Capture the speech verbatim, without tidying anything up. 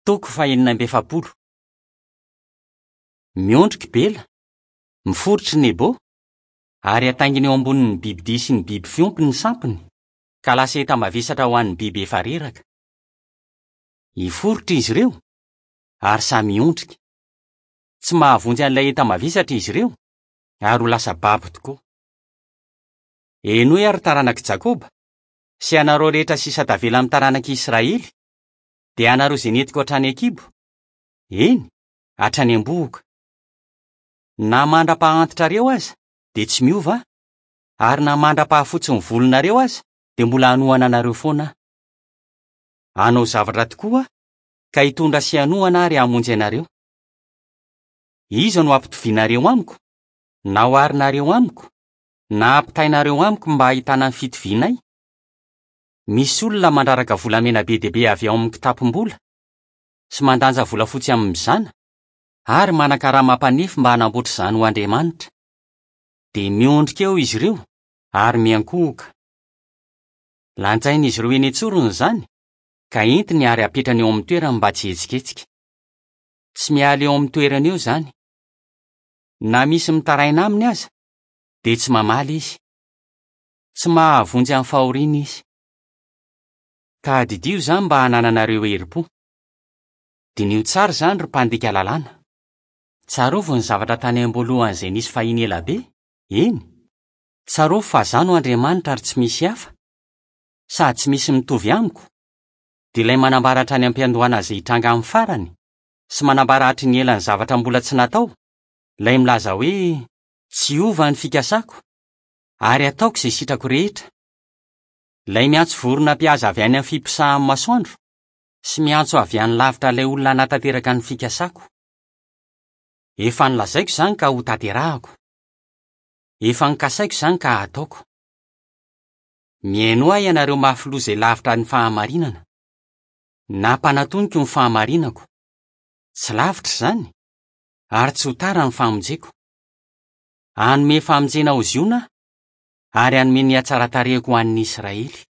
Toko fahenina amby efapolo. Miondrika i Bela, miforitra i Nebo, ary ataingina eo ambonin'ny bibidia sy ny biby fiompy ny sampiny, ka lasa enta-mavesatra ho an'ny biby efa reraka. Hiforitra izy ireo, ary samy hiondrika. Tsy mahavonjy an'ilay enta-mavesatra izy ireo, ary ho lasa babo tokoa. Henoy ary taranak'i Jakoba, sy ianareo rehetra sisa tavela amin'ny taranak'i Israely, dia ianareo izay nentiko hatrany an-kibo, eny, hatrany am-bohoka. Na mandra-pahantitrareo aza, dia tsy miova aho, ary na mandra-pahafotsy ny volonareo aza, dia mbola hanohana anareo foana aho. Hanao zavatra tokoa aho, ka hitondra sy hanohana ary hamonjy anareo. Iza no hampitovianareo amiko, na oharinareo amiko, na hampitainareo amiko mba hahitana ny fitovianay? Misy olona mandraraka volamena be dia be avy ao amin'ny kitapom-bola sy mandanja volafotsy amin'ny mizana ary manan-karama mpanefy mba hanamboatra izany ho andriamanitra. Dia miondrika eo izy ireo ary miankohoka. Lanjain'izy ireo eny an-tsorony izany ka entiny ary apetrany eo amin'ny toerany mba tsy hihetsiketsika. Tsy miala eo amin'ny toerany eo izany. Na misy mitaraina aminy aza, dia tsy mamaly izy. Tsy mahavonjy amin'ny fahoriana izy. Tadidio izany mba hanananareo herim-po. Diniho tsara izany ry mpandika lalàna. Tsarovy ny zavatra tany am-boalohany izay nisy fahiny ela be, eny. Tsarovy fa izaho no Andriamanitra ary tsy misy hafa, sady tsy misy mitovy amiko, dia ilay manambara hatrany am-piandohana izay hitranga amin'ny farany, sy manambara hatry ny ela ny zavatra mbola tsy natao, ilay milaza hoe tsy hiova ny fikasako, ary hataoko izay sitrako rehetra. Ilay miantso vorona mpihaza avy any amin'ny fiposahan'ny masoandro sy miantso avy any lavitra ilay olona hanatanteraka ny fikasako. Efa nolazaiko izany ka hotanterahako. Efa nokasaiko izany ka hataoko. Mihainoa ahy ianareo mafy loha izay lavitra ny fahamarinana. Nampanatoniko ny fahamarinako. Tsy lavitra izany, ary tsy ho tara ny famonjeko. Hanome famonjena ho Ziona aho, ary hanome ny hatsaran-tarehiko ho an'ny Israely.